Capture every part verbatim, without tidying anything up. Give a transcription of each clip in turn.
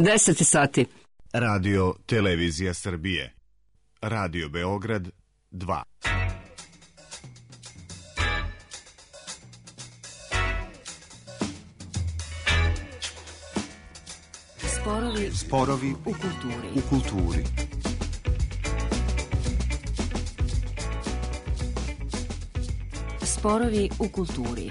deset sati. Radio Televizija Srbije. Radio Beograd dva. Sporovi, Sporovi u kulturi. U kulturi. Sporovi u kulturi.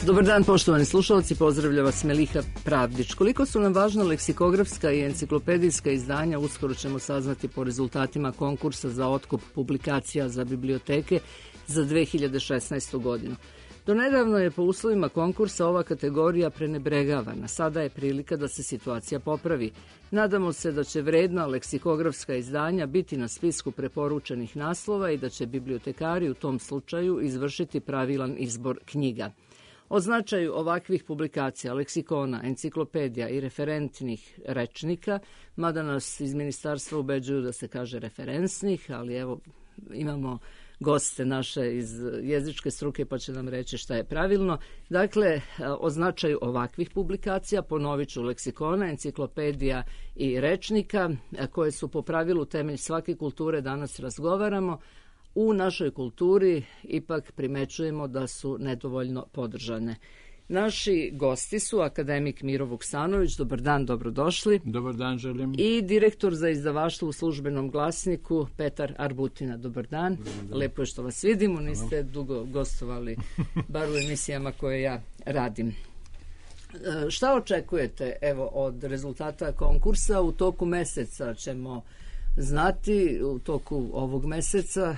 Dobar dan, poštovani slušalci, pozdravlja vas Meliha Pravdić. Koliko su nam važna leksikografska i enciklopedijska izdanja, uskoro ćemo saznati po rezultatima konkursa za otkup publikacija za biblioteke za dve hiljade šesnaestu. godinu. Do nedavno je po uslovima konkursa ova kategorija prenebregavana. Sada je prilika da se situacija popravi. Nadamo se da će vredna leksikografska izdanja biti na spisku preporučenih naslova i da će bibliotekari u tom slučaju izvršiti pravilan izbor knjiga. O značaju ovakvih publikacija, leksikona, enciklopedija i referentnih rečnika, mada nas iz ministarstva ubeđuju da se kaže referensnih, ali evo imamo goste naše iz jezičke struke pa će nam reći šta je pravilno. Dakle, o značaju ovakvih publikacija, ponovit ću, leksikona, enciklopedija i rečnika, koje su po pravilu temelj svake kulture, danas razgovaramo. U našoj kulturi ipak primećujemo da su nedovoljno podržane. Naši gosti su akademik Miro Vuksanović, dobar dan, dobrodošli. Dobar dan, želim. I direktor za izdavaštvo u Službenom glasniku Petar Arbutina, dobar dan. Dobar dan. Lepo je što vas vidimo, niste dugo gostovali, bar u emisijama koje ja radim. E, šta očekujete evo od rezultata konkursa? U toku meseca ćemo znati, u toku ovog meseca,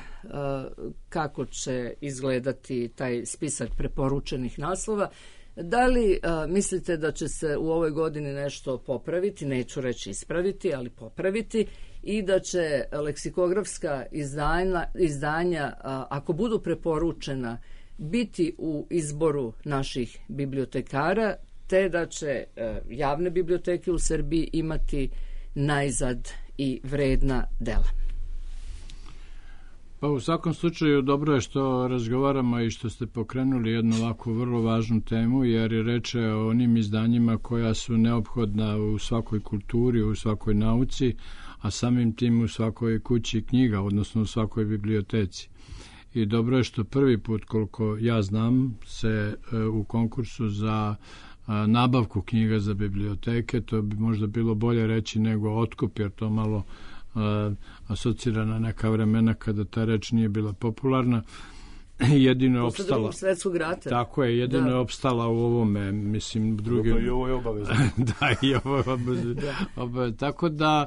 kako će izgledati taj spisak preporučenih naslova. Da li mislite da će se u ovoj godini nešto popraviti, neću reći ispraviti, ali popraviti, i da će leksikografska izdanja, izdanja ako budu preporučena, biti u izboru naših bibliotekara, te da će javne biblioteke u Srbiji imati najzad i vredna dela? Pa u svakom slučaju dobro je što razgovaramo i što ste pokrenuli jednu ovako vrlo važnu temu, jer je reč o onim izdanjima koja su neophodna u svakoj kulturi, u svakoj nauci, a samim tim u svakoj kući knjiga, odnosno u svakoj biblioteci. I dobro je što prvi put, koliko ja znam, se u konkursu za nabavku knjiga za biblioteke, to bi možda bilo bolje reći nego otkup, jer to malo uh, asocira na neka vremena kada ta reč nije bila popularna. Jedino je opstala. Posle drugog svetskog rata. Tako je, jedino da. je opstala u ovome, mislim, drugim... I ovo je obavezno. Da, i ovo je obavezno. da. Tako da,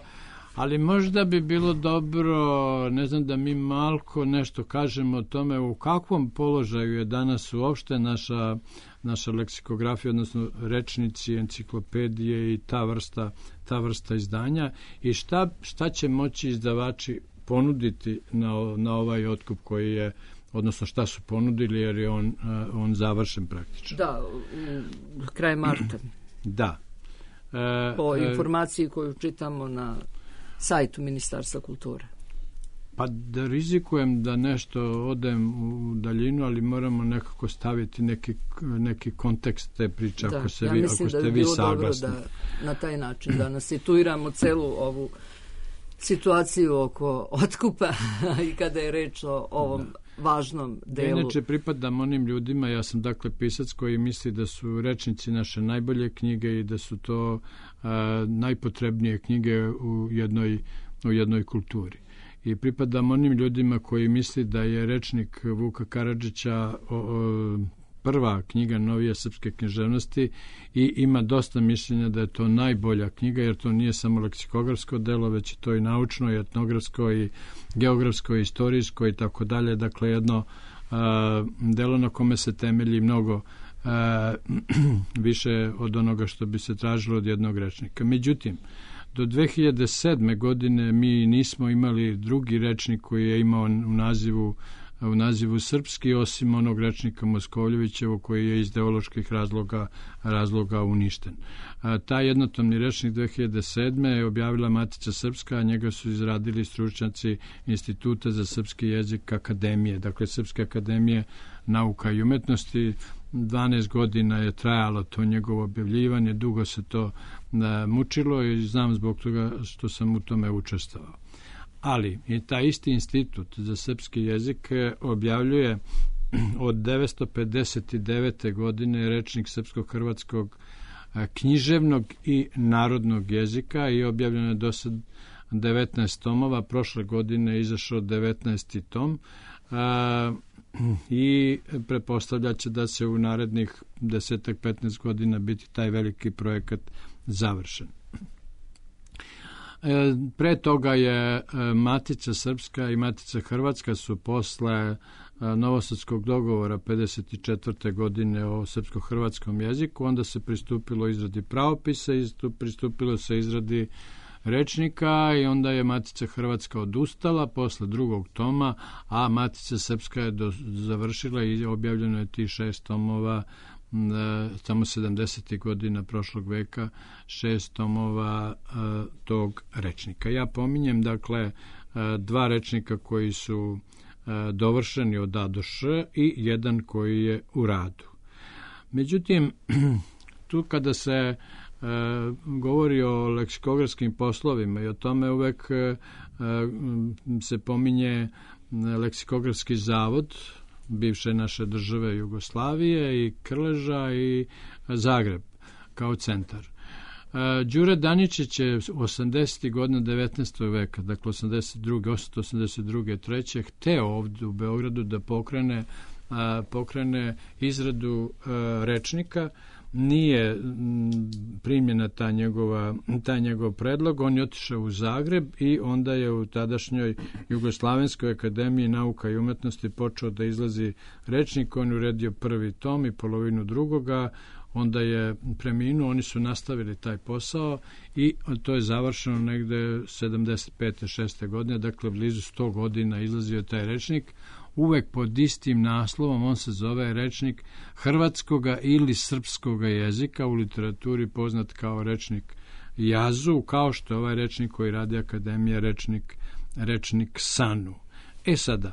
ali možda bi bilo dobro, ne znam, da mi malko nešto kažemo o tome u kakvom položaju je danas uopšte naša naša leksikografija, odnosno rečnici, enciklopedije i ta vrsta, ta vrsta izdanja, i šta, šta će moći izdavači ponuditi na, na ovaj otkup koji je, odnosno šta su ponudili, jer je on, on završen praktično. Da, kraj marta. Da. E, po informaciji koju čitamo na sajtu Ministarstva kulture. Pa da rizikujem da nešto odem u daljinu, ali moramo nekako staviti neki, neki kontekst te priče, da, ako, se ja vi, ako ste da vi saglasni. Da, na taj način da nas situiramo celu ovu situaciju oko otkupa i kada je reč o ovom da. važnom delu. Inače pripadam onim ljudima, ja sam dakle pisac koji misli da su rečnici naše najbolje knjige i da su to a, najpotrebnije knjige u jednoj, u jednoj kulturi. I pripadam onim ljudima koji misli da je rečnik Vuka Karadžića o, o, prva knjiga novije srpske književnosti i ima dosta mišljenja da je to najbolja knjiga, jer to nije samo leksikografsko delo, već je to i naučno, i etnografsko, i geografsko, i istorijsko i tako dalje. Dakle, jedno a, delo na kome se temelji mnogo a, više od onoga što bi se tražilo od jednog rečnika. Međutim, do dve hiljade sedme. godine mi nismo imali drugi rečnik koji je imao u nazivu u nazivu srpski, osim onog rečnika Moskovljevićevo koji je iz ideoloških razloga, razloga uništen. Taj jednotomni rečnik dve hiljade sedme je objavila Matica Srpska, a njega su izradili stručnjaci Instituta za srpski jezik Akademije, dakle Srpske akademije nauka i umetnosti. dvanaest godina je trajalo to njegovo objavljivanje, dugo se to mučilo i znam zbog toga što sam u tome učestvovao. Ali i taj isti Institut za srpski jezik objavljuje od devetsto pedeset devete. godine rečnik srpsko-hrvatskog književnog i narodnog jezika i objavljeno je do sad devetnaest tomova, prošle godine je izašao devetnaesti tom a, i pretpostavlja će da se u narednih deset petnaest godina biti taj veliki projekat završen. Pre toga je Matica Srpska i Matica Hrvatska su posle Novosadskog dogovora pedeset četvrte. godine o srpsko-hrvatskom jeziku, onda se pristupilo izradi pravopisa i pristupilo se izradi rečnika i onda je Matica Hrvatska odustala posle drugog toma, a Matica Srpska je do, završila i objavljeno je ti šest tomova samo sedamdesetih godina prošlog veka, šest tomova uh, tog rečnika. Ja pominjem, dakle, uh, dva rečnika koji su uh, dovršeni od A do Š i jedan koji je u radu. Međutim, tu kada se uh, govori o leksikografskim poslovima i o tome uvek uh, se pominje leksikografski zavod bivše naše države Jugoslavije i Krleža i Zagreb kao centar. Đure Daničić je osamdesetih godina devetnaestog veka, dakle osamdeset druge. osamdeset druge. treće hteo ovdje u Beogradu da pokrene, pokrene izradu rečnika. Nije primljena ta njegova, taj njegov predlog, on je otišao u Zagreb i onda je u tadašnjoj Jugoslavenskoj akademiji nauka i umetnosti počeo da izlazi rečnik, on je uredio prvi tom i polovinu drugoga, onda je preminuo, oni su nastavili taj posao i to je završeno negde sedamdeset pete šeste. godine, dakle blizu sto godina izlazio je taj rečnik, uvek pod istim naslovom, on se zove rečnik hrvatskoga ili srpskoga jezika, u literaturi poznat kao rečnik Jazu, kao što je ovaj rečnik koji radi Akademija, rečnik, rečnik Sanu. E sada,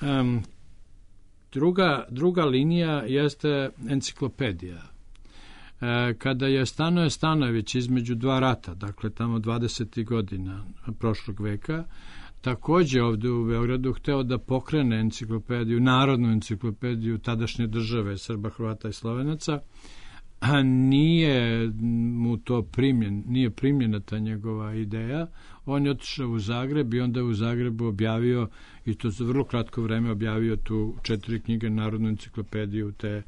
um, druga, druga linija jeste enciklopedija. E, kada je Stanoje Stanojević između dva rata, dakle tamo dvadesetih godina prošlog veka, takođe ovde u Beogradu hteo da pokrene enciklopediju, narodnu enciklopediju tadašnje države Srba, Hrvata i Slovenaca, a nije mu to primljen, nije primljena ta njegova ideja. On je otišao u Zagreb i onda je u Zagrebu objavio, i to za vrlo kratko vreme objavio tu četiri knjige, narodnu enciklopediju te,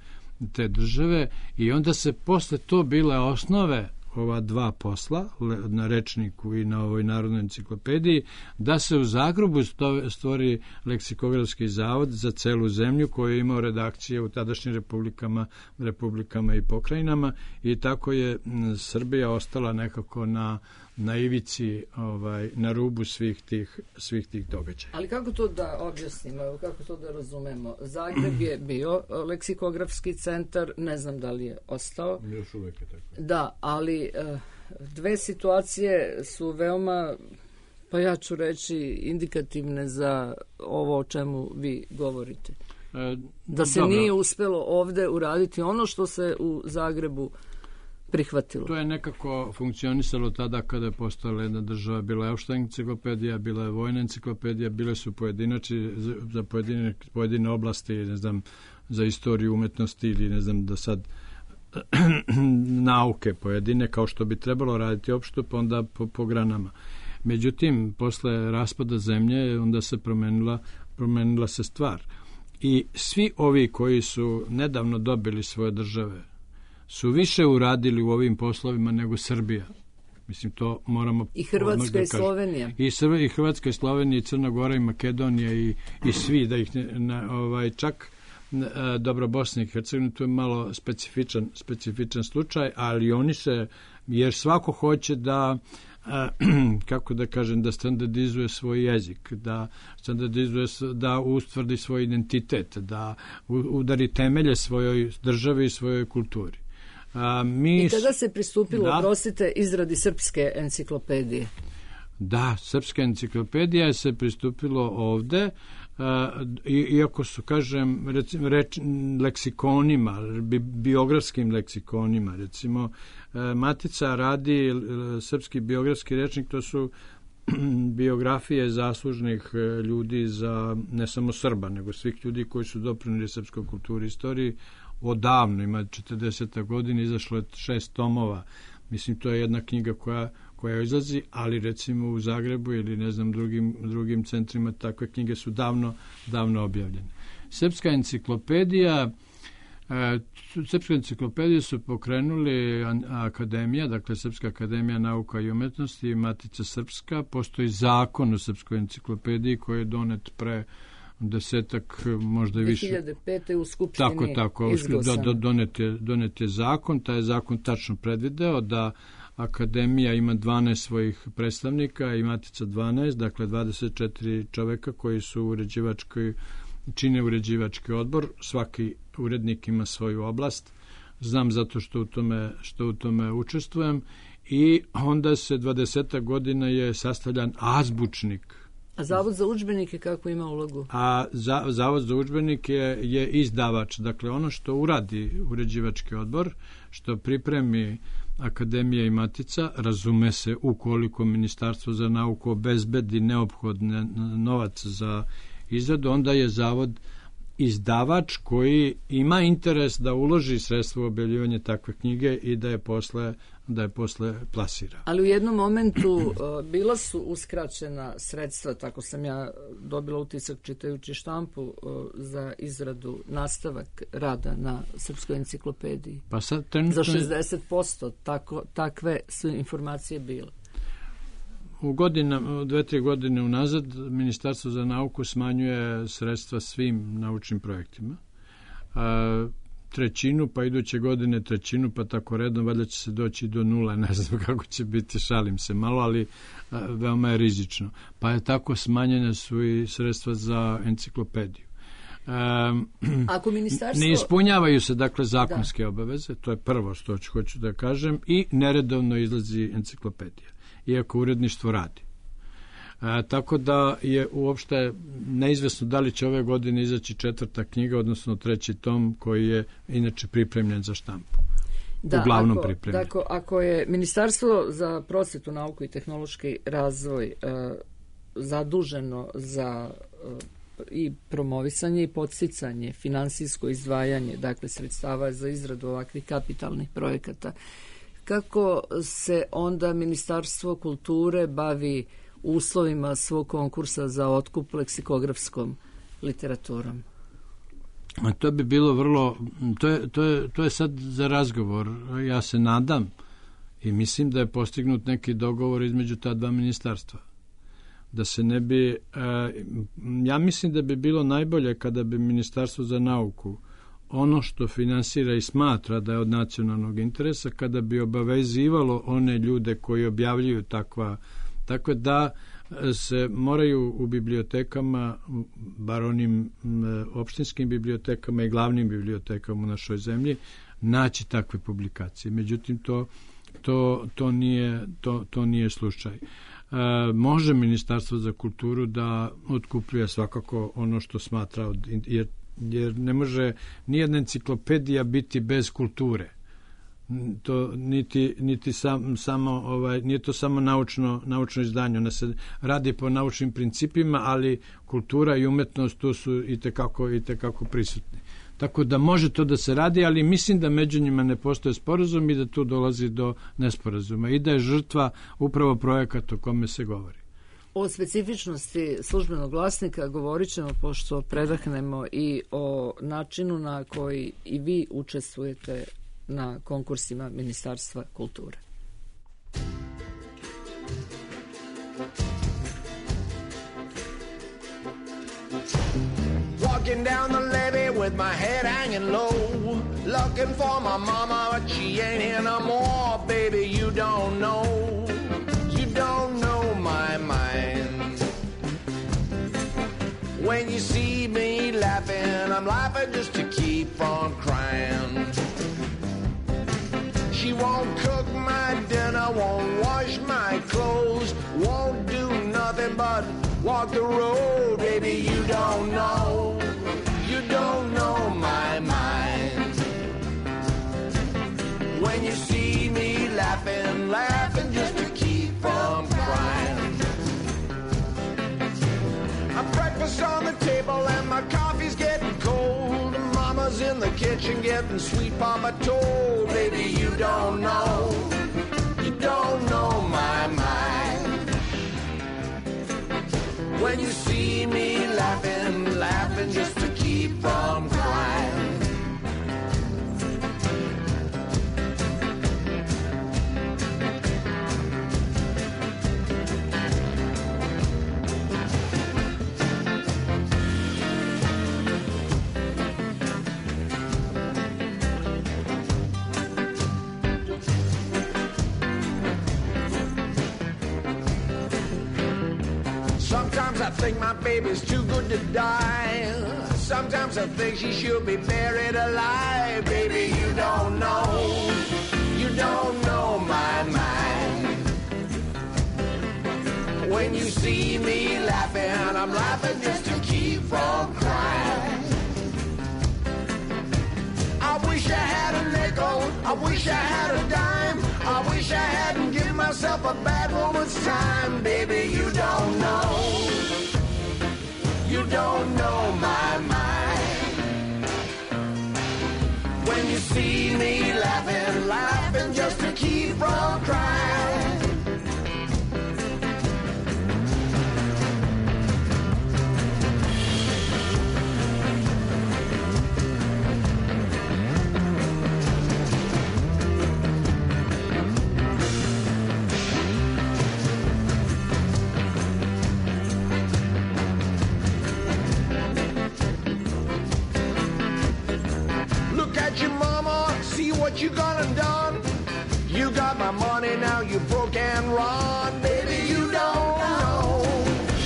te države, i onda se posle to bile osnove ova dva posla, na rečniku i na ovoj narodnoj enciklopediji, da se u Zagrebu stvori leksikografski zavod za celu zemlju koji je imao redakcije u tadašnjim republikama, republikama i pokrajinama, i tako je Srbija ostala nekako na, na ivici, ovaj, na rubu svih tih, svih tih događaja. Ali kako to da objasnimo, kako to da razumemo? Zagreb je bio leksikografski centar, ne znam da li je ostao. Još uvek je tako. Da, ali dve situacije su veoma, pa ja ću reći, indikativne za ovo o čemu vi govorite. E, da se dobro. Nije uspelo ovde uraditi ono što se u Zagrebu prihvatilo. To je nekako funkcionisalo tada kada je postojala jedna država, bila je opšta enciklopedija, bila je vojna enciklopedija, bile su pojedinači za pojedine, pojedine oblasti, ne znam, za istoriju umetnosti ili ne znam da sad nauke pojedine, kao što bi trebalo raditi opšto, pa onda po, po granama. Međutim, posle raspada zemlje, onda se promenila, promenila se stvar. I svi ovi koji su nedavno dobili svoje države su više uradili u ovim poslovima nego Srbija. Mislim, to moramo... I Hrvatska i Slovenija. I, Srbija, i Hrvatska i Slovenija, i Crna Gora, i Makedonija, i, i svi, da ih ne, ne, ovaj, čak dobro, Bosna i Hercegovina, tu je malo specifičan, specifičan slučaj, ali oni se, jer svako hoće da a, kako da kažem, da standardizuje svoj jezik, da standardizuje, da ustvrdi svoj identitet, da udari temelje svojoj državi i svojoj kulturi. A, mi, I kada se pristupilo, da, prosite, izradi srpske enciklopedije? Da, srpska enciklopedija je se pristupilo ovde, uh, iako su, kažem, recimo, reč, leksikonima, bi, biografskim leksikonima, recimo, uh, Matica radi uh, srpski biografski rečnik, to su biografije zaslužnih uh, ljudi za, ne samo Srba, nego svih ljudi koji su doprinijeli srpskoj kulturi i istoriji odavno, ima četrdeseta godina, izašlo je šest tomova. Mislim, to je jedna knjiga koja koja izlazi, ali recimo u Zagrebu ili ne znam drugim, drugim centrima takve knjige su davno, davno objavljene. Srpska enciklopedija, e, Srpsku enciklopediju su pokrenuli akademija, dakle Srpska akademija nauka i umetnosti i Matica Srpska. Postoji zakon o Srpskoj enciklopediji koji je donet pre desetak, možda i više. dve hiljade pete u Skupštini tako, tako, izglasan. Do, donet, je, donet je zakon, taj je zakon tačno predvideo da Akademija ima dvanaest svojih predstavnika i Matica dvanaest, dakle dvadeset četiri čoveka koji su uređivački, čine uređivački odbor, svaki urednik ima svoju oblast, znam zato što u tome, što u tome učestvujem, i onda se dvadeseta godina je sastavljan azbučnik. A Zavod za udžbenike kako ima ulogu? A za, Zavod za udžbenike je, je izdavač, dakle ono što uradi uređivački odbor, što pripremi Akademija i Matica, razume se ukoliko Ministarstvo za nauku obezbedi neophodne novac za izradu, onda je Zavod izdavač koji ima interes da uloži sredstvo u objavljivanje takve knjige i da je posle, da je posle plasira. Ali u jednom momentu uh, bila su uskraćena sredstva, tako sam ja dobila utisak čitajući štampu, uh, za izradu, nastavak rada na Srpskoj enciklopediji. Pa sad, trenutno... Za šezdeset posto tako, takve su informacije bile. U godina, dve, tri godine unazad Ministarstvo za nauku smanjuje sredstva svim naučnim projektima. A, trećinu, pa iduće godine trećinu, pa tako redom, valjda će se doći do nula, ne znam kako će biti, šalim se malo, ali a, veoma je rizično. Pa je tako smanjene su i sredstva za enciklopediju. Um, Ako ministarstvo... Ne ispunjavaju se, dakle, zakonske da. obaveze, to je prvo što ću, hoću da kažem, i neredovno izlazi enciklopedija, iako uredništvo radi. A, tako da je uopšte neizvesno da li će ove godine izaći četvrta knjiga, odnosno treći tom koji je inače pripremljen za štampu. Da, uglavnom ako, pripremljen. Dakle, ako je Ministarstvo za prosvetu, nauku i tehnološki razvoj e, zaduženo za e, i promovisanje i podsticanje, finansijsko izdvajanje, dakle sredstava za izradu ovakvih kapitalnih projekata, kako se onda Ministarstvo kulture bavi uslovima svog konkursa za otkup leksikografskom literaturom? A to bi bilo vrlo, to je, to je, to je sad za razgovor. Ja se nadam i mislim da je postignut neki dogovor između ta dva ministarstva. Da se ne bi, e, ja mislim da bi bilo najbolje kada bi Ministarstvo za nauku ono što finansira i smatra da je od nacionalnog interesa, kada bi obavezivalo one ljude koji objavljuju takva, tako da se moraju u bibliotekama, bar onim opštinskim bibliotekama i glavnim bibliotekama u našoj zemlji, naći takve publikacije. Međutim, to, to, to, nije, to, to nije slučaj. E, može Ministarstvo za kulturu da otkupljuje svakako ono što smatra, od, jer, jer ne može nijedna enciklopedija biti bez kulture. To niti, niti sam, samo, ovaj, nije to samo naučno, naučno izdanje. Ona se radi po naučnim principima, ali kultura i umetnost tu su i tekako, i tekako prisutni. Tako da može to da se radi, ali mislim da među njima ne postoje sporazum i da tu dolazi do nesporazuma i da je žrtva upravo projekat o kome se govori. O specifičnosti službenog glasnika govorit ćemo pošto predahnemo i o načinu na koji i vi učestvujete na konkursima Ministarstva kulture. Walking down the levee with my head hanging low, looking for my mama, but she ain't here no more. Baby, you don't know, you When you see me laughing, I'm laughing just to keep from crying. She won't cook my dinner, won't wash my clothes, won't do nothing but walk the road. Baby, you don't know, you don't know my mind. When you see me laughing, laughing just to keep from crying. A breakfast on the table and my coffee's getting cold. Mama's in the kitchen getting sweet Papa told. Baby, you don't know, you don't know my mind. When you see me laughing, laughing just to keep from crying. Sometimes I think my baby's too good to die. Sometimes I think she should be buried alive. Baby, you don't know, you don't know my mind. When you see me laughing, I'm laughing just to keep from crying. I wish I had a nickel, I wish I had a dime. I wish I hadn't given myself a bad woman's time. Baby, you don't know, you don't know my mind. When you see me laughing, laughing just to keep from crying. What you gonna done? You got my money, now you broke and run. Baby, you don't know,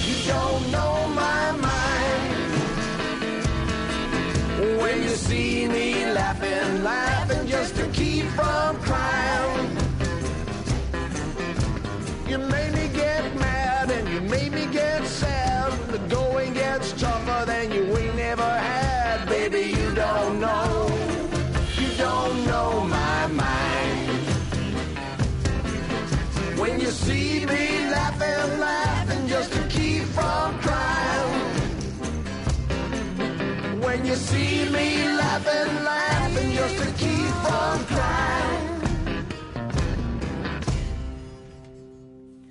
you don't know my mind. When you see me laughing, laughing just to keep from crying. You made me get mad and you made me get sad. The going gets tougher than you ain't never had. Baby, you don't know, don't know my mind. When you see me laughing, laughing just to keep from crying. When you see me laughing, laughing just to keep from crying.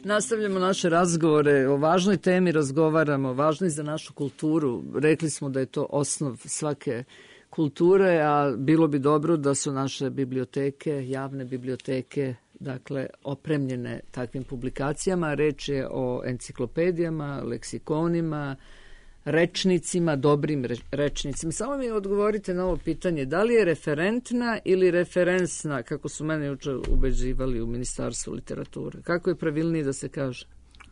Nastavljamo naše razgovore, o važnoj temi razgovaramo, važnoj za našu kulturu. Rekli smo da je to osnov svake kulture, a bilo bi dobro da su naše biblioteke, javne biblioteke, dakle, opremljene takvim publikacijama. Reč je o enciklopedijama, leksikonima, rečnicima, dobrim rečnicima. Samo mi odgovorite na ovo pitanje, da li je referentna ili referensna, kako su mene juče ubeđivali u Ministarstvu literature? Kako je pravilnije da se kaže?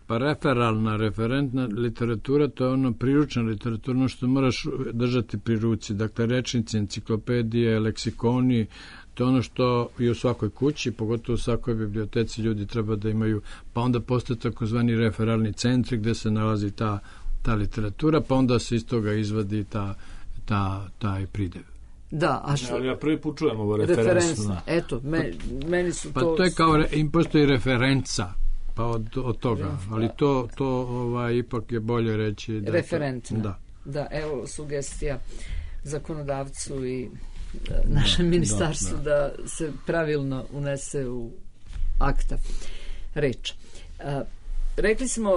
Pa referalna, referentna literatura, to je ono priručna literatura, ono što moraš držati pri ruci. Dakle, rečnici, enciklopedije, leksikoni, to je ono što je u svakoj kući, pogotovo u svakoj biblioteci ljudi treba da imaju, pa onda postoje takozvani referalni centri gde se nalazi ta, ta literatura, pa onda se iz toga izvadi ta, ta, taj pridev. Da, a što... Ali ja prvi put čujem ovo referensno. Eto, me, meni su to... Pa to je kao, im postoji referenca, pa od, od toga, ali to, to ovaj, ipak je bolje reći... Da referentna. To, da. Da, evo sugestija zakonodavcu i našem ministarstvu da, da. da se pravilno unese u akta reč. Rekli smo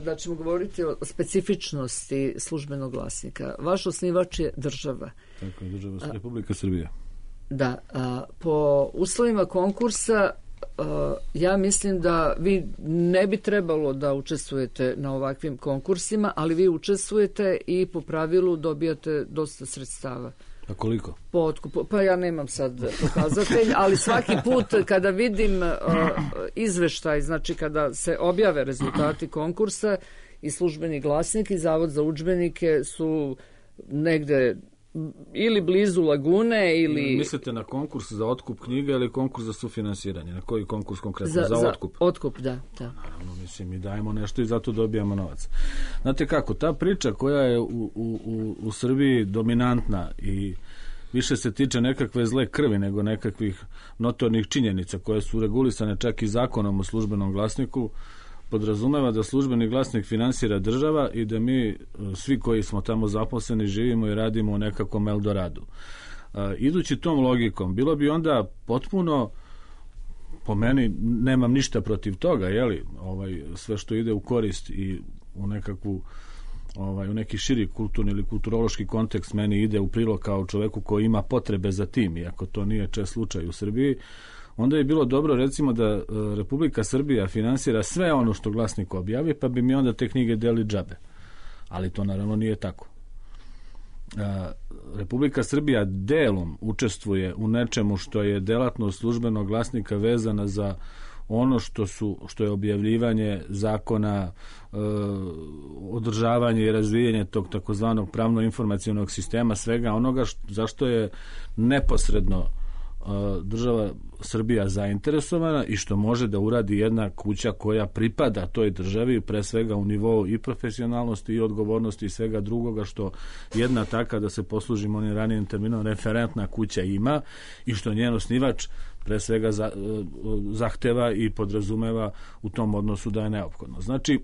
da ćemo govoriti o specifičnosti službenog glasnika. Vaš osnivač je država. Tako je, država a, Republika Srbija. Da, a, po uslovima konkursa a, ja mislim da vi ne bi trebalo da učestvujete na ovakvim konkursima, ali vi učestvujete i po pravilu dobijate dosta sredstava. A koliko? Po otkupu, pa ja nemam sad pokazatelj, ali svaki put kada vidim uh, izveštaj, znači kada se objave rezultati konkursa i Službeni glasnik i Zavod za udžbenike su negde ili blizu Lagune ili... Mislite na konkurs za otkup knjiga ili konkurs za sufinansiranje? Na koji konkurs konkretno? Za, za, za otkup? Otkup, da. da. Naravno, mislim, mi dajemo nešto i zato dobijamo novac. Znate kako, ta priča koja je u, u, u, u Srbiji dominantna i više se tiče nekakve zle krvi nego nekakvih notornih činjenica koje su regulisane čak i zakonom o Službenom glasniku, podrazumeva da Službeni glasnik finansira država i da mi, svi koji smo tamo zaposleni, živimo i radimo u nekakvom Eldoradu. E, idući tom logikom, bilo bi onda potpuno, po meni, nemam ništa protiv toga, jeli, ovaj, sve što ide u korist i u nekakvu ovaj, u neki širi kulturni ili kulturološki kontekst meni ide u prilog kao čoveku koji ima potrebe za tim, iako to nije čest slučaj u Srbiji, onda je bilo dobro recimo da Republika Srbija finansira sve ono što glasnik objavi, pa bi mi onda te knjige deli džabe. Ali to naravno nije tako. Republika Srbija delom učestvuje u nečemu što je delatnost Službenog glasnika vezana za ono što su što je objavljivanje zakona, e, održavanje i razvijanje tog takozvanog pravno-informacionog sistema, svega onoga što, zašto je neposredno država Srbija zainteresovana i što može da uradi jedna kuća koja pripada toj državi, pre svega u nivou i profesionalnosti i odgovornosti i svega drugoga što jedna taka, da se poslužimo onim ranijim terminom, referentna kuća ima i što njen osnivač pre svega za, zahteva i podrazumeva u tom odnosu da je neophodno. Znači,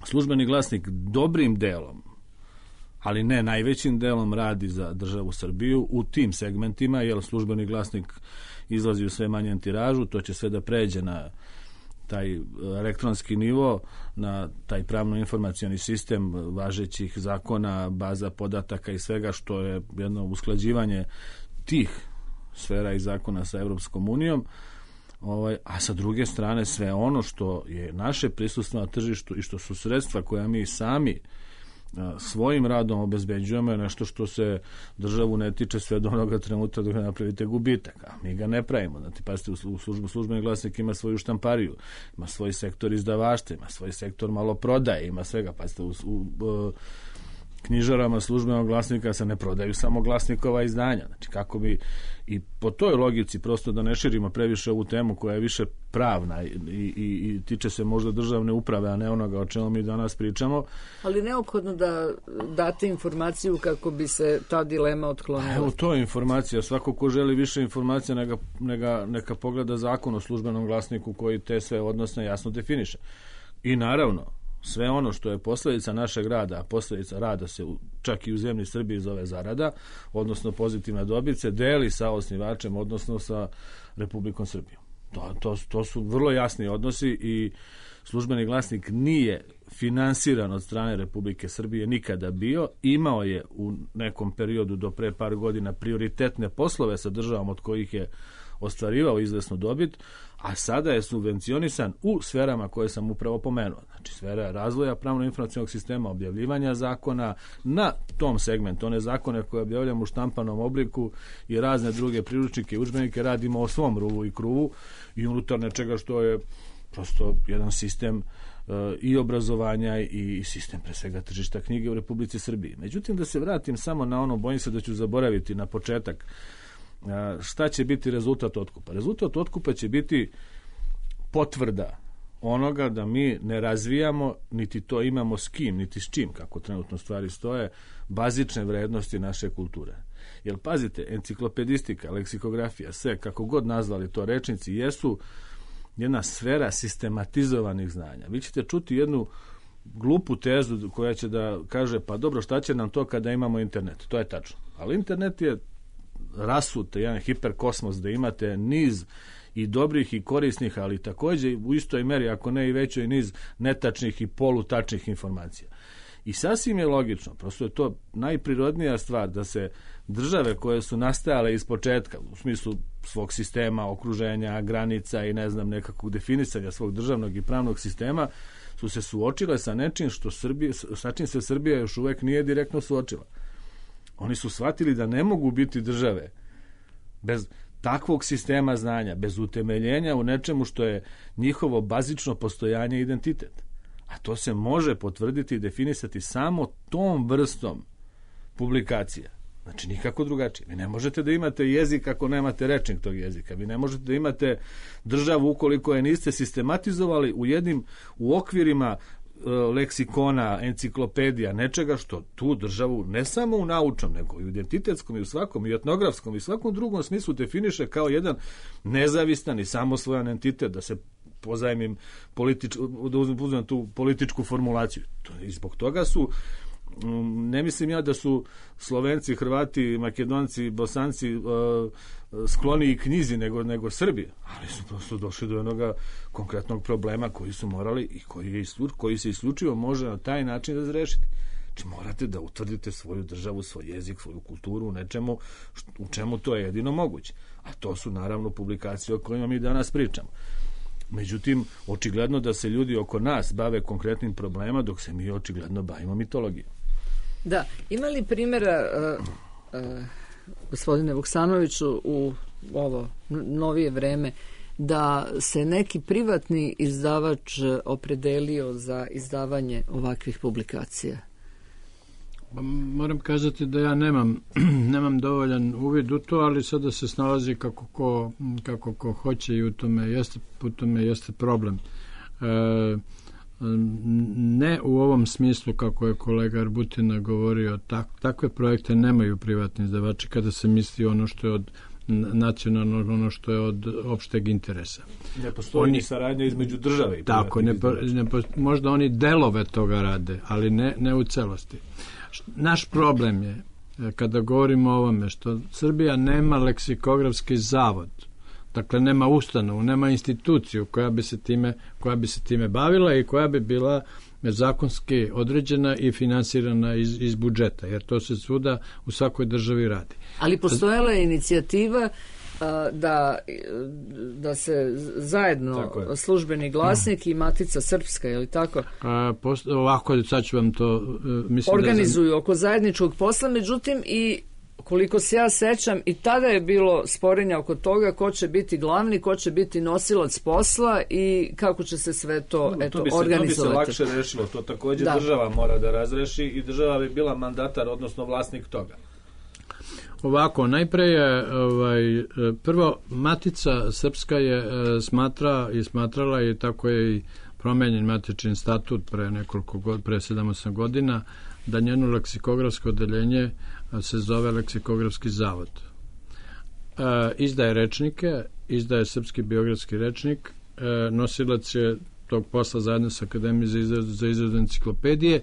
Službeni glasnik dobrim delom, ali ne najvećim delom, radi za državu Srbiju u tim segmentima, jer Službeni glasnik izlazi u sve manjem tiražu, to će sve da pređe na taj elektronski nivo, na taj pravno-informacioni sistem važećih zakona, baza podataka i svega što je jedno usklađivanje tih sfera i zakona sa Evropskom unijom, ovaj, a sa druge strane sve ono što je naše prisustvo na tržištu i što su sredstva koja mi sami svojim radom obezbeđujemo je nešto što se državu ne tiče sve do onoga trenutka dok ne napravite gubitak, a mi ga ne pravimo. Znači, pazite, u službu Službeni glasnik ima svoju štampariju, ima svoj sektor izdavaštva, ima svoj sektor maloprodaje, ima svega. Pazite, u, u, u knjižarama Službenog glasnika se ne prodaju samo glasnikova izdanja. Znači, kako bi i po toj logici, prosto da ne širimo previše ovu temu koja je više pravna i, i, i tiče se možda državne uprave, a ne onoga o čemu mi danas pričamo. Ali neophodno da date informaciju kako bi se ta dilema otklonila. Evo, to je informacija. Svako ko želi više informacija neka, neka, neka pogleda zakon o Službenom glasniku koji te sve odnosne jasno definiše. I naravno, sve ono što je posljedica našeg rada, a posljedica rada se u, čak i u zemlji Srbiji zove zarada, odnosno pozitivna dobit, se deli sa osnivačem, odnosno sa Republikom Srbijom. To, to, to su vrlo jasni odnosi i Službeni glasnik nije finansiran od strane Republike Srbije nikada bio. Imao je u nekom periodu do pre par godina prioritetne poslove sa državom od kojih je ostvarivao izvesnu dobit, a sada je subvencionisan u sferama koje sam upravo pomenuo. Znači, sfera razvoja pravno-informacionog sistema, objavljivanja zakona na tom segmentu. One zakone koje objavljamo u štampanom obliku i razne druge priručnike i udžbenike radimo o svom ruvu i kruvu i unutar nečega što je prosto jedan sistem uh, i obrazovanja i sistem pre svega tržišta knjige u Republici Srbiji. Međutim, da se vratim samo na ono, bojim se da ću zaboraviti na početak, šta će biti rezultat otkupa? Rezultat otkupa će biti potvrda onoga da mi ne razvijamo, niti to imamo s kim, niti s čim, kako trenutno stvari stoje, bazične vrednosti naše kulture. Jer pazite, enciklopedistika, leksikografija, sve, kako god nazvali to rečnici, jesu jedna sfera sistematizovanih znanja. Vi ćete čuti jednu glupu tezu koja će da kaže, pa dobro, šta će nam to kada imamo internet? To je tačno. Ali internet je rasut, jedan hiperkosmos da imate niz i dobrih i korisnih, ali također u istoj meri, ako ne i većoj, niz netačnih i polutačnih informacija. I sasvim je logično, prosto je to najprirodnija stvar da se države koje su nastajale iz početka, u smislu svog sistema, okruženja, granica i ne znam nekakvog definisanja svog državnog i pravnog sistema, su se suočile sa nečim što Srbije, sa čim se Srbija još uvek nije direktno suočila. Oni su shvatili da ne mogu biti države bez takvog sistema znanja, bez utemeljenja u nečemu što je njihovo bazično postojanje i identitet. A to se može potvrditi i definisati samo tom vrstom publikacija. Znači, nikako drugačije. Vi ne možete da imate jezik ako nemate rečnik tog jezika. Vi ne možete da imate državu ukoliko je niste sistematizovali u jednim, u okvirima e, leksikona, enciklopedija, nečega što tu državu ne samo u naučnom, nego i u identitetskom i u svakom, i etnografskom i svakom drugom smislu definiše kao jedan nezavistan i samosvojan entitet, da se pozajmim politič, da uzmem tu političku formulaciju. I zbog toga su, ne mislim ja da su Slovenci, Hrvati, Makedonci, Bosanci uh, skloniji knjizi nego, nego Srbi, ali su prosto došli do jednog konkretnog problema koji su morali i koji, je islu, koji se isključivo može na taj način razrešiti. Znači, morate da utvrdite svoju državu, svoj jezik, svoju kulturu u nečemu u čemu to je jedino moguće. A to su naravno publikacije o kojima mi danas pričamo. Međutim, očigledno da se ljudi oko nas bave konkretnim problema, dok se mi očigledno bavimo mitologijom. Da, ima li primjera, uh, uh, gospodine Vuksanoviću, u ovo novije vreme, da se neki privatni izdavač opredelio za izdavanje ovakvih publikacija? Moram kazati da ja nemam, nemam dovoljan uvid u to, ali sada se snalazi kako ko, kako ko hoće i u tome jeste, u tome jeste problem. E, ne u ovom smislu kako je kolega Arbutina govorio, tak, takve projekte nemaju privatni izdavači kada se misli ono što je od nacionalnog, ono što je od opšteg interesa. Ne postoji ni saradnja između države i tako, ne, ne, možda oni delove toga rade, ali ne, ne u celosti. Naš problem je, kada govorimo o ovome, što Srbija nema leksikografski zavod, dakle nema ustanovu, nema instituciju koja bi se time, koja bi se time bavila i koja bi bila zakonski određena i finansirana iz, iz budžeta, jer to se svuda u svakoj državi radi. Ali postojala je inicijativa a, da, da se zajedno Službeni glasnik i Matica Srpska, je li tako? A, post, ovako, sad ću vam to uh, mislim organizuju da... oko zajedničkog posla, međutim i koliko se ja sećam, i tada je bilo sporenja oko toga ko će biti glavni, ko će biti nosilac posla i kako će se sve to, no, eto, to bi se, organizovati. To bi se lakše rešilo, to također da. Država mora da razreši i država bi bila mandatar, odnosno vlasnik toga. Ovako, najpre je, ovaj, prvo, Matica Srpska je smatra i smatrala i tako je i promenjen matični statut pre nekoliko god, pre sedam osam godina, da njeno leksikografsko odeljenje se zove Leksikografski zavod. E, izdaje rečnike, izdaje Srpski biografski rečnik, e, nosilac je tog posla zajedno sa Akademijom za izradu, za izradu enciklopedije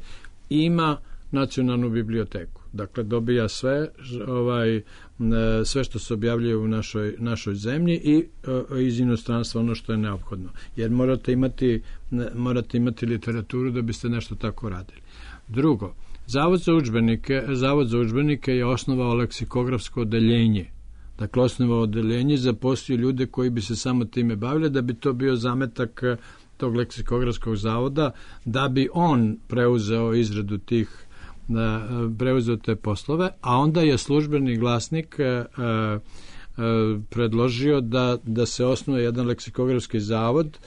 i ima nacionalnu biblioteku. Dakle, dobija sve, ovaj, sve što se objavljuje u našoj, našoj zemlji i e, iz inostranstva ono što je neophodno. Jer morate imati, morate imati literaturu da biste nešto tako radili. Drugo, Zavod za udžbenike, Zavod za udžbenike je osnovao leksikografsko odeljenje. Dakle, osnovao odeljenje, zaposlio ljude koji bi se samo time bavili, da bi to bio zametak tog leksikografskog zavoda, da bi on preuzeo izradu tih, preuzeo te poslove, a onda je Službeni glasnik predložio da, da se osnuje jedan leksikografski zavod.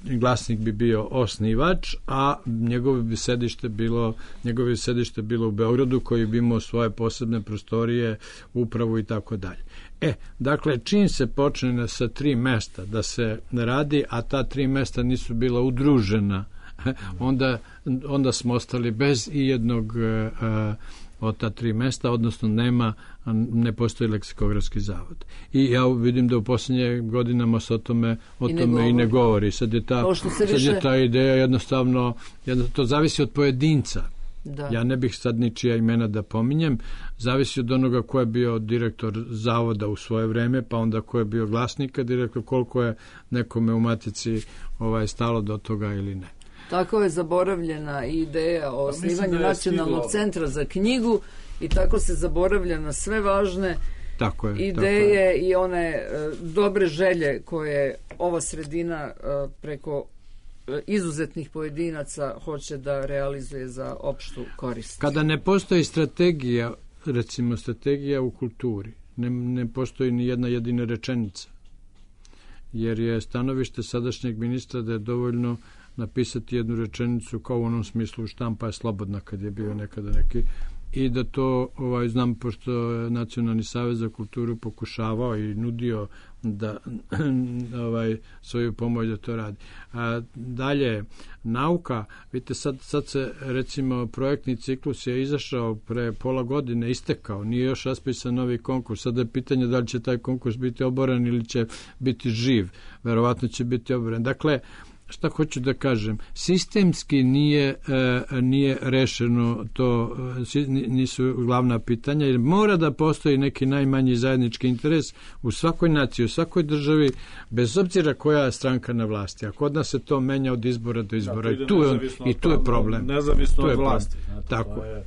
Glasnik bi bio osnivač, a njegovo bi sedište bilo njegovo bi sedište bilo u Beogradu, koji bi imao svoje posebne prostorije, upravu i tako dalje. E, dakle, čim se počne sa tri mesta da se radi, a ta tri mesta nisu bila udružena, onda, onda smo ostali bez i jednog a, od ta tri mesta, odnosno nema, ne postoji leksikografski zavod. I ja vidim da u posljednje godinama se o tome, o I tome ne i ne govori. Sad je ta, sad više... je ta ideja jednostavno, jednostavno, to zavisi od pojedinca. Da. Ja ne bih sad ničija imena da pominjem, zavisi od onoga ko je bio direktor zavoda u svoje vreme, pa onda ko je bio glasnika direktor, koliko je nekome u Matici ovaj, stalo do toga ili ne. Tako je zaboravljena ideja o osnivanju Nacionalnog stiglo. centra za knjigu i tako se zaboravlja na sve važne tako je, ideje tako je. I one uh, dobre želje koje ova sredina uh, preko izuzetnih pojedinaca hoće da realizuje za opštu korist. Kada ne postoji strategija, recimo strategija u kulturi, ne, ne postoji ni jedna jedina rečenica, jer je stanovište sadašnjeg ministra da je dovoljno napisati jednu rečenicu kao u onom smislu štampa je slobodna kad je bio nekada neki, i da to ovaj, znam pošto je Nacionalni savez za kulturu pokušavao i nudio da ovaj, svoju pomoć da to radi. A dalje, nauka, vidite sad, sad se recimo projektni ciklus je izašao pre pola godine, istekao, nije još raspisan novi konkurs, sada je pitanje da li će taj konkurs biti oboren ili će biti živ, verovatno će biti oboren. Dakle, šta hoću da kažem, sistemski nije, e, nije rešeno to, e, nisu glavna pitanja, jer mora da postoji neki najmanji zajednički interes u svakoj naciji, u svakoj državi, bez obzira koja je stranka na vlasti. A kod nas se to menja od izbora do izbora. Da, I tu je, i tu je problem. Nezavisno od vlasti. Znate, tako to je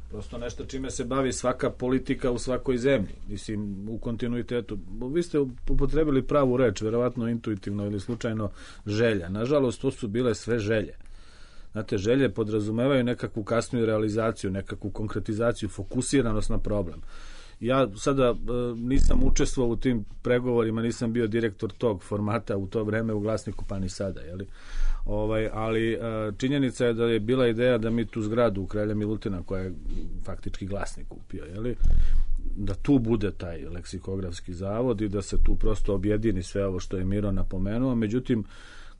prosto nešto čime se bavi svaka politika u svakoj zemlji, mislim, u kontinuitetu. Vi ste upotrebili pravu reč, verovatno intuitivno ili slučajno želja. Nažalost, to su bile sve želje. Znate, želje podrazumevaju nekakvu kasniju realizaciju, nekakvu konkretizaciju, fokusiranost na problem. Ja sada e, nisam učestvovao u tim pregovorima, nisam bio direktor tog formata u to vreme u Glasniku, pa ni sada, jeli? Ovaj, ali e, činjenica je da je bila ideja da mi tu zgradu u Kralja Milutina, koja je faktički Glasnik kupio, jeli? Da tu bude taj leksikografski zavod i da se tu prosto objedini sve ovo što je Miro napomenuo. Međutim,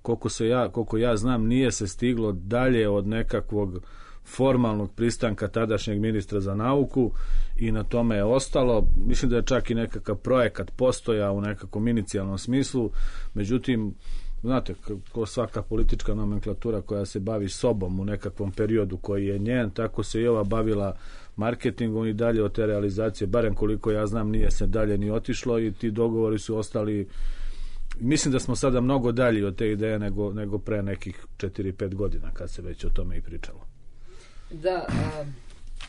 koliko, se ja, koliko ja znam, nije se stiglo dalje od nekakvog formalnog pristanka tadašnjeg ministra za nauku i na tome je ostalo. Mislim da je čak i nekakav projekat postoja u nekakvom inicijalnom smislu, međutim, znate, ko svaka politička nomenklatura koja se bavi sobom u nekakvom periodu koji je njen, tako se i ova bavila marketingom i dalje od te realizacije, barem koliko ja znam, nije se dalje ni otišlo i ti dogovori su ostali. Mislim da smo sada mnogo dalji od te ideje nego, nego pre nekih četiri pet godina kad se već o tome i pričalo. Da, a,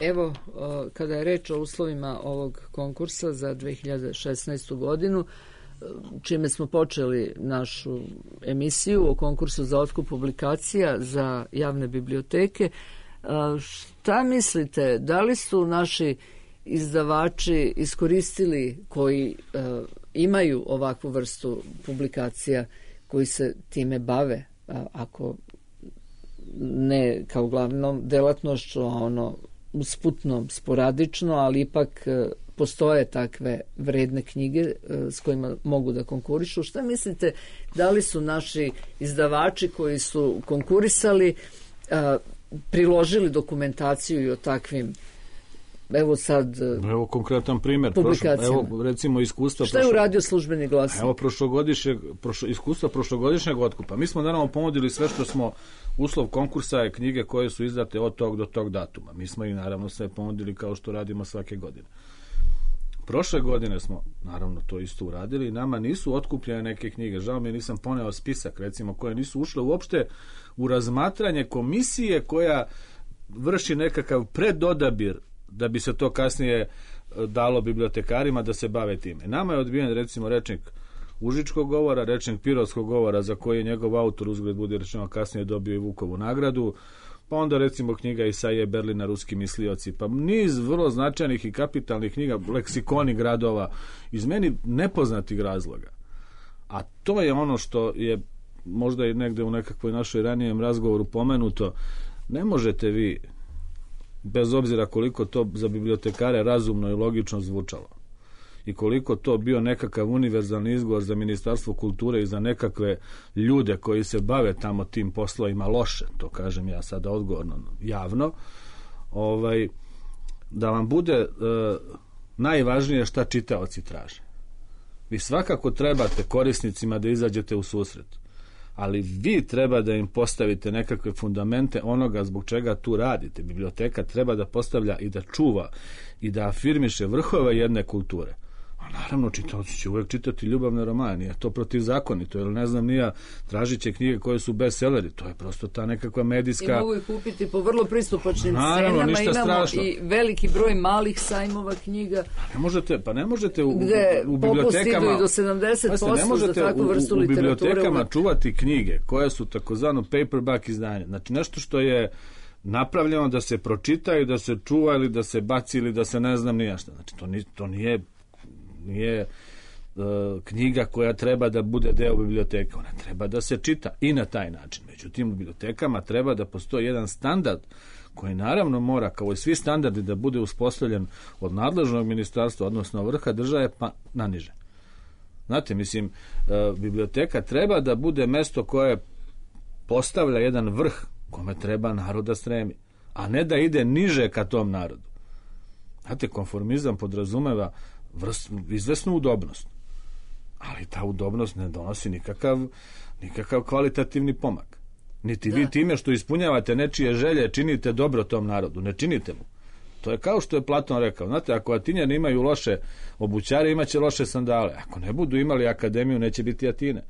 evo, a, kada je reč o uslovima ovog konkursa za dve hiljade šesnaestu godinu, čime smo počeli našu emisiju o konkursu za otkup publikacija za javne biblioteke, a, šta mislite, da li su naši izdavači iskoristili koji a, imaju ovakvu vrstu publikacija, koji se time bave, a, ako ne kao glavnom delatnošću, a ono usputno, sporadično, ali ipak e, postoje takve vredne knjige e, s kojima mogu da konkurišu. Šta mislite, da li su naši izdavači koji su konkurisali e, priložili dokumentaciju i o takvim, evo sad, evo konkretan primjer, prošlo, evo recimo iskustva. Šta je uradio Službeni glas? Evo prošlogodišnjeg, prošlo, iskustva prošlogodišnjeg otkupa. Mi smo naravno ponudili sve što smo, uslov konkursa je knjige koje su izdate od tog do tog datuma. Mi smo ih naravno sve ponudili kao što radimo svake godine. Prošle godine smo naravno to isto uradili i nama nisu otkupljene neke knjige. Žao mi je, nisam poneo spisak, recimo, koje nisu ušle uopšte u razmatranje komisije koja vrši nekakav predodabir da bi se to kasnije dalo bibliotekarima da se bave time. Nama je odbijen recimo rečnik Užičkog govora, rečnik Pirotskog govora za koji je njegov autor, uzgled budi rečeno, kasnije dobio i Vukovu nagradu, pa onda recimo knjiga Isaije Berlina Ruski mislioci, pa niz vrlo značajnih i kapitalnih knjiga, leksikoni gradova iz meni nepoznatih razloga. A to je ono što je možda i negde u nekakvoj našoj ranijem razgovoru pomenuto. Ne možete vi, bez obzira koliko to za bibliotekare razumno i logično zvučalo i koliko to bio nekakav univerzalni izgovor za Ministarstvo kulture i za nekakve ljude koji se bave tamo tim poslovima loše, to kažem ja sada odgovorno javno, ovaj, da vam bude e, najvažnije šta čitaoci traže. Vi svakako trebate korisnicima da izađete u susret, ali vi treba da im postavite nekakve fundamente onoga zbog čega tu radite. Biblioteka treba da postavlja i da čuva i da afirmiše vrhove jedne kulture. Naravno, čitaoci će uvek čitati ljubavne romane, nije to protivzakonito, ili ne znam, nija tražit će knjige koje su bestselleri, to je prosto ta nekakva medijska... I mogu ih kupiti po vrlo pristupačnim Naravno, cenama, ništa imamo strašno. I veliki broj malih sajmova knjiga. Ne možete, pa ne možete u, gde u popusti idu bibliotekama... i do sedamdeset posto ne možete za takvu u, vrstu u, u literature. bibliotekama čuvati knjige koje su takozvano paperback izdanje. Znači, nešto što je napravljeno da se pročita i da se čuva ili da se baci ili da se ne znam nija šta. Znači, to, ni, to nije... nije knjiga koja treba da bude deo biblioteke. Ona treba da se čita i na taj način. Međutim, u bibliotekama treba da postoji jedan standard koji naravno mora, kao i svi standardi, da bude uspostavljen od nadležnog ministarstva, odnosno vrha države, pa naniže. Znate, mislim, biblioteka treba da bude mesto koje postavlja jedan vrh kome treba narod da stremi, a ne da ide niže ka tom narodu. Znate, konformizam podrazumeva vrst, izvesnu udobnost, ali ta udobnost ne donosi nikakav, nikakav kvalitativni pomak. Niti da. Vi time što ispunjavate nečije želje činite dobro tom narodu, ne činite mu. To je kao što je Platon rekao. Znate, ako Atinjani imaju loše obućare, imaće loše sandale. Ako ne budu imali akademiju, neće biti Atine.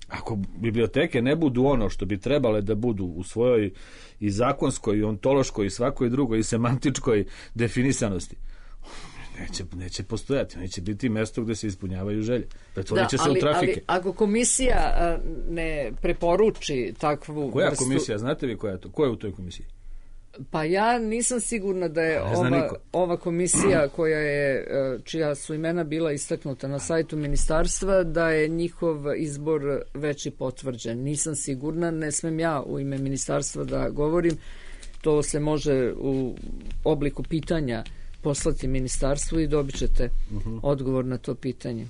Ako biblioteke ne budu ono što bi trebale da budu u svojoj i zakonskoj, i ontološkoj, i svakoj drugoj, i semantičkoj definisanosti, Neće, neće postojati, neće biti mesto gde se ispunjavaju želje. Pretvorit će se ali, u trafike. Ali ako komisija a, ne preporuči takvu koja vrstu... komisija, znate vi koja je to? Ko je u toj komisiji? Pa ja nisam sigurna da je ova, ova komisija koja je, čija su imena bila istaknuta na sajtu ministarstva, da je njihov izbor već i potvrđen. Nisam sigurna, ne smem ja u ime ministarstva da govorim. To se može u obliku pitanja poslati ministarstvu i dobit ćete uh-huh. odgovor na to pitanje.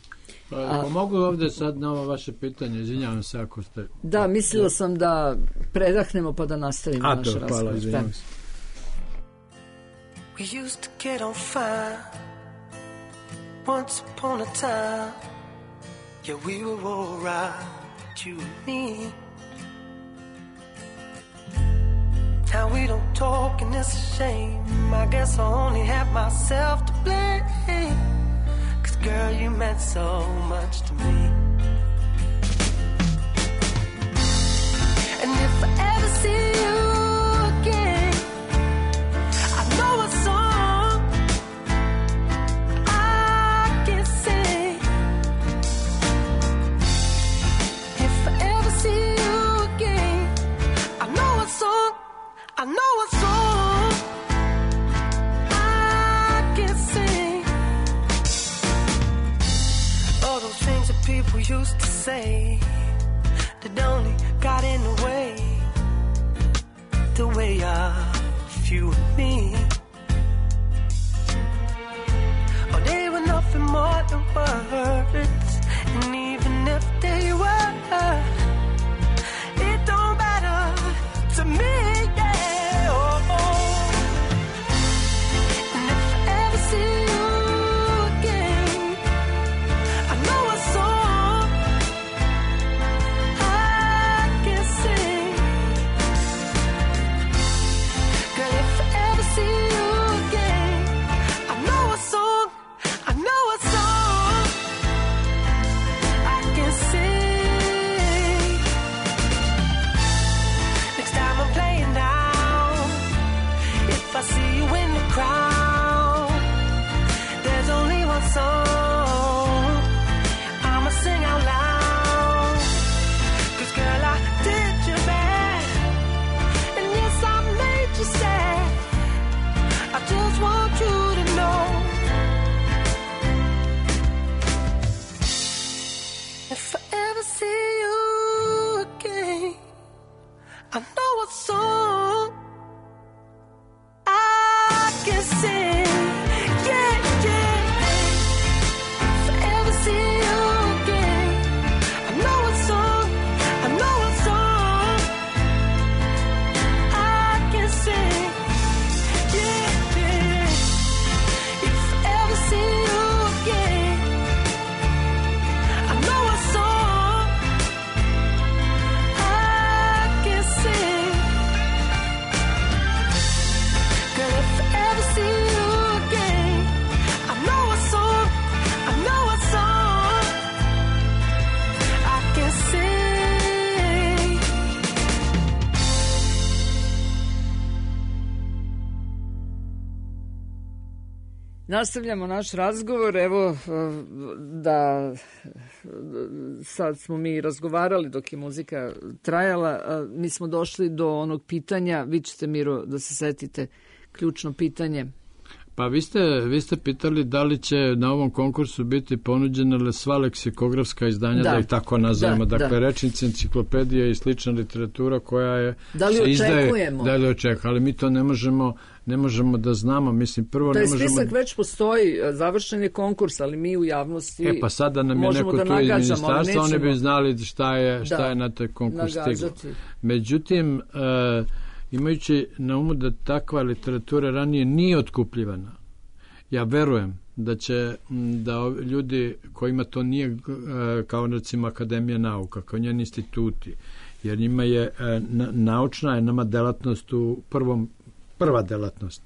Pa, a, mogu ovdje sad na ovo vaše pitanje, izvinjavam se ako ste... Da, mislila sam da predahnemo pa da nastavimo a, naš to, razgovor. hvala, izvinjavam se. We used to get on fire once upon a time. Yeah, we were all right, you and me. Now we don't talk and it's a shame. I guess I only have myself to blame. Cause girl, you meant so much to me. And if I ever see you again, I know a song I can sing. If I ever see you again, I know a song I know a song I can sing. All those things that people used to say that only got in the way, the way of you and me. Oh, they were nothing more than words, and even if they were, it don't matter to me. Nastavljamo naš razgovor, evo da sad smo mi razgovarali dok je muzika trajala, mi smo došli do onog pitanja, vi ćete, Miro, da se setite ključno pitanje. Pa vi ste, vi ste pitali da li će na ovom konkursu biti ponuđena sva leksikografska izdanja, da, da ih tako nazovemo, da, dakle da. Rečnici, enciklopedija i slična literatura koja je... Da li očekujemo? Izdaje, da li očekujemo, ali mi to ne možemo, ne možemo da znamo, mislim, prvo to ne je možemo... spisak već postoji, završen je konkurs, ali mi u javnosti e, pa sada nam je neko da tu iz ministarstva, oni bi znali šta je, šta da, je na taj konkurs stiglo. Međutim, uh, imajući na umu da takva literatura ranije nije otkupljivana, ja verujem da će da ljudi kojima to nije kao recimo Akademija nauka, kao njeni instituti, jer njima je naučna je nama delatnost u prvom, prva delatnost.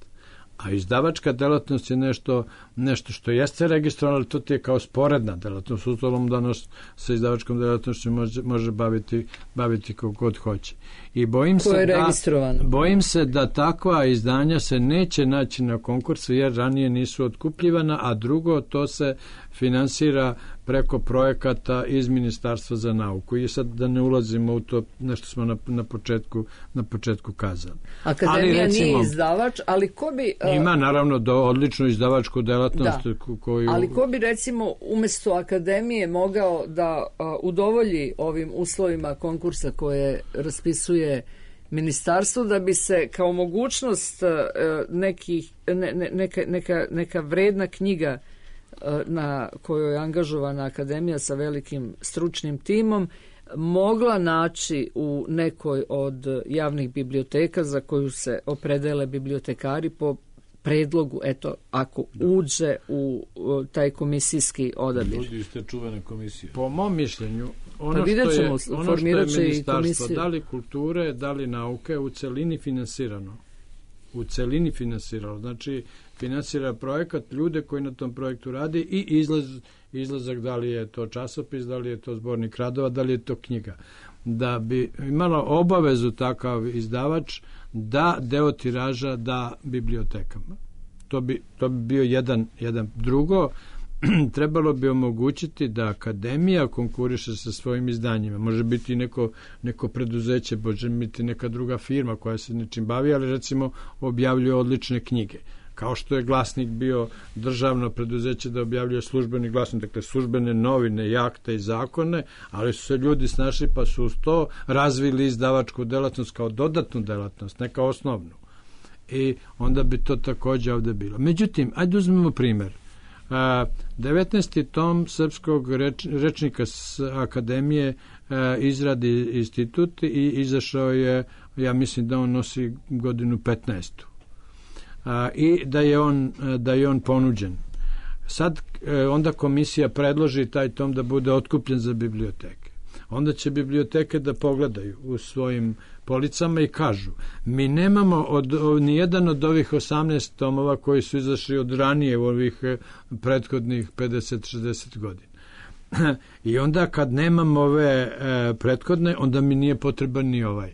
A izdavačka delatnost je nešto, nešto što jeste registrovano, ali to ti je kao sporedna delatnost. U stolom danas sa izdavačkom delatnošću može, može baviti, baviti kako god hoće. I bojim Ko je se, registrovano? da, bojim se da takva izdanja se neće naći na konkursu jer ranije nisu otkupljivana, a drugo to se finansira preko projekata iz Ministarstva za nauku. I sad da ne ulazimo u to nešto smo na, na, početku, na početku kazali. Akademija ali, recimo, nije izdavač, ali ko bi... Uh, ima naravno do odličnu izdavačku delatnost. Da, koju... ali ko bi recimo umjesto Akademije mogao da uh, udovolji ovim uslovima konkursa koje raspisuje Ministarstvo, da bi se kao mogućnost uh, nekih, ne, ne, neka, neka, neka vredna knjiga na kojoj je angažovana Akademija sa velikim stručnim timom mogla naći u nekoj od javnih biblioteka za koju se opredele bibliotekari po predlogu, eto, ako uđe u taj komisijski odabir. Ljudi iz te čuvene komisije. Po mom mišljenju, ono, pa što je, ćemo, ono što je ministarstvo, da li kulture, da li nauke, u celini finansirano. U celini finansiralo. Znači, finansira projekat, ljude koji na tom projektu radi i izlaz, izlazak, da li je to časopis, da li je to zbornik radova, da li je to knjiga. Da bi imalo obavezu takav izdavač da deo tiraža da bibliotekama. To bi, to bi bio jedan, jedan. Drugo, trebalo bi omogućiti da Akademija konkuriše sa svojim izdanjima. Može biti neko, neko preduzeće, može biti neka druga firma koja se nečim bavi, ali recimo objavljuje odlične knjige. Kao što je Glasnik bio državno preduzeće da objavljuje službeni glasnik, dakle službene novine, i akte i zakone, ali su se ljudi snašli pa su uz to razvili izdavačku delatnost kao dodatnu delatnost, ne kao osnovnu. I onda bi to također ovdje bilo. Međutim, ajde uzmemo primjer. devetnaesti tom srpskog reč, rečnika Akademije izradi institut i izašao je, ja mislim da on nosi godinu petnaestu. I da je on, da je on ponuđen. Sad onda komisija predloži taj tom da bude otkupljen za biblioteke. Onda će biblioteke da pogledaju u svojim policama i kažu, mi nemamo od, nijedan od ovih osamnaest tomova koji su izašli od ranije u ovih prethodnih pedeset šezdeset godina. I onda kad nemamo ove e, prethodne, onda mi nije potreban ni ovaj.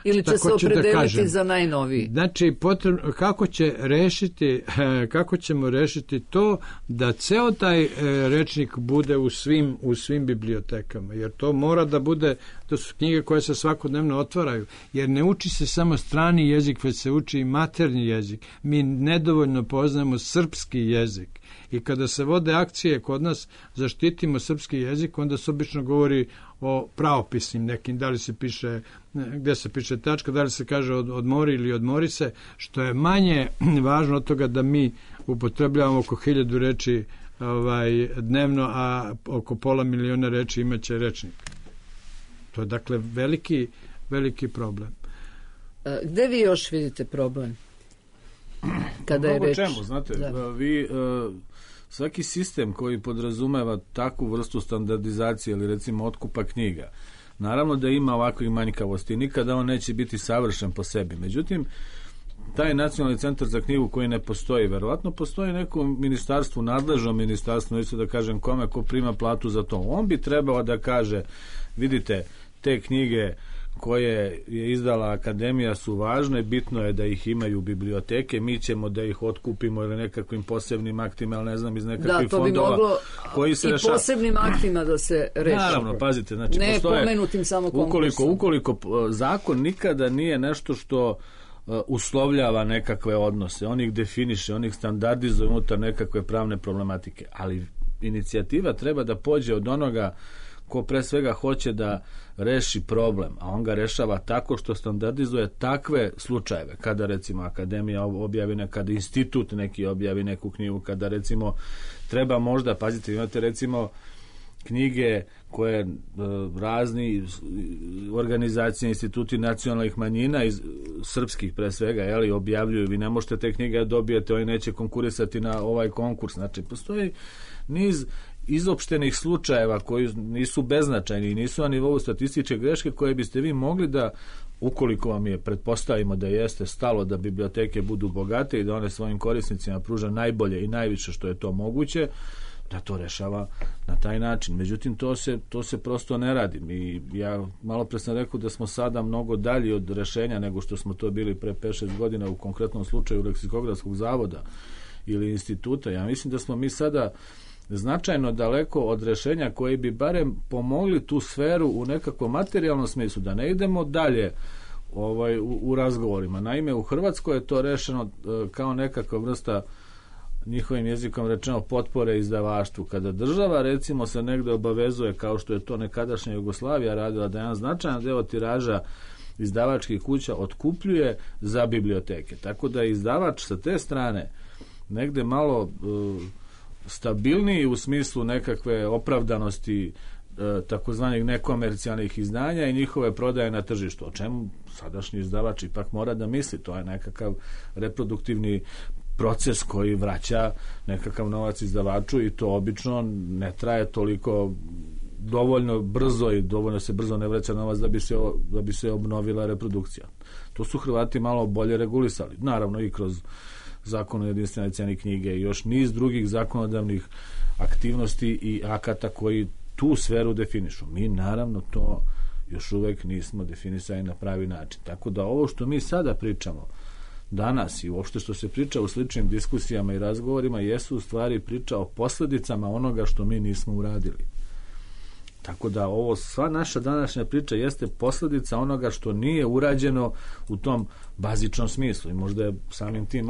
Ili će tako se opredeliti da za najnoviji. Znači, potrebno, kako će rešiti, kako ćemo rešiti to da ceo taj rečnik bude u svim, u svim bibliotekama, jer to mora da bude, to su knjige koje se svakodnevno otvaraju, jer ne uči se samo strani jezik, već se uči i maternji jezik. Mi nedovoljno poznajemo srpski jezik. I kada se vode akcije kod nas zaštitimo srpski jezik, onda se obično govori o pravopisnim nekim, da li se piše, gde se piše tačka, da li se kaže od, odmori ili odmori se, što je manje važno od toga da mi upotrebljavamo oko hiljadu reči ovaj, dnevno, a oko pola miliona reči imaće rečnik. To je dakle veliki, veliki problem. A, gde vi još vidite problem? Kada je reč... čemu, znate, da. vi... Uh, svaki sistem koji podrazumeva takvu vrstu standardizacije ili recimo otkupa knjiga, naravno da ima ovakvih manjkavosti, nikada on neće biti savršen po sebi. Međutim, taj nacionalni centar za knjigu koji ne postoji, verovatno postoji neko ministarstvo, nadležno ministarstvo, neću da kažem kome, ko prima platu za to. On bi trebao da kaže, vidite, te knjige koje je izdala akademija su važne, bitno je da ih imaju biblioteke, mi ćemo da ih otkupimo ili nekakvim posebnim aktima, ali ne znam, iz nekakvih fondova. Da, to bi moglo koji se i reša... posebnim aktima da se reši. Naravno, pazite, znači ne postoje, pomenutim samo konkursom. Ukoliko, ukoliko zakon nikada nije nešto što uh, uslovljava nekakve odnose, on ih definiše, on ih standardizuje unutar nekakve pravne problematike, ali inicijativa treba da pođe od onoga ko pre svega hoće da reši problem, a on ga rešava tako što standardizuje takve slučajeve, kada recimo akademija objavi, kada institut neki objavi neku knjigu, kada recimo treba možda, pazite, imate recimo knjige koje e, razni organizacije, instituti nacionalnih manjina iz srpskih pre svega, jeli, objavljuju, vi ne možete te knjige dobijete, oni neće konkurisati na ovaj konkurs, znači postoji niz izopštenih slučajeva koji nisu beznačajni i nisu na nivou statističke greške koje biste vi mogli da, ukoliko vam je, pretpostavimo da jeste stalo da biblioteke budu bogate i da one svojim korisnicima pruža najbolje i najviše što je to moguće, da to rešava na taj način. Međutim, to se, to se prosto ne radi. I ja malo pre sam rekao da smo sada mnogo dalji od rešenja nego što smo to bili pre pet šest godina u konkretnom slučaju Leksikografskog zavoda ili instituta. Ja mislim da smo mi sada značajno daleko od rešenja koji bi barem pomogli tu sferu u nekakvom materijalnom smislu, da ne idemo dalje ovaj, u, u razgovorima. Naime, u Hrvatskoj je to rešeno e, kao nekakva vrsta, njihovim jezikom rečeno, potpore izdavaštvu. Kada država recimo se negde obavezuje, kao što je to nekadašnja Jugoslavija radila, da jedan značajan deo tiraža izdavačkih kuća otkupljuje za biblioteke. Tako da je izdavač sa te strane negde malo e, stabilniji u smislu nekakve opravdanosti e, takozvanih nekomercijalnih izdanja i njihove prodaje na tržištu, o čemu sadašnji izdavač ipak mora da misli. To je nekakav reproduktivni proces koji vraća nekakav novac izdavaču i to obično ne traje toliko dovoljno brzo i dovoljno se brzo ne vraća novac da bi se, da bi se obnovila reprodukcija. To su Hrvati malo bolje regulisali. Naravno i kroz Zakon o jedinstvenoj ceni knjige i još niz drugih zakonodavnih aktivnosti i akata koji tu sferu definišu. Mi naravno to još uvek nismo definisali na pravi način. Tako da ovo što mi sada pričamo danas i uopšte što se priča u sličnim diskusijama i razgovorima jesu u stvari priča o posljedicama onoga što mi nismo uradili. Tako da ovo, sva naša današnja priča jeste posljedica onoga što nije urađeno u tom bazičnom smislu. I možda je samim tim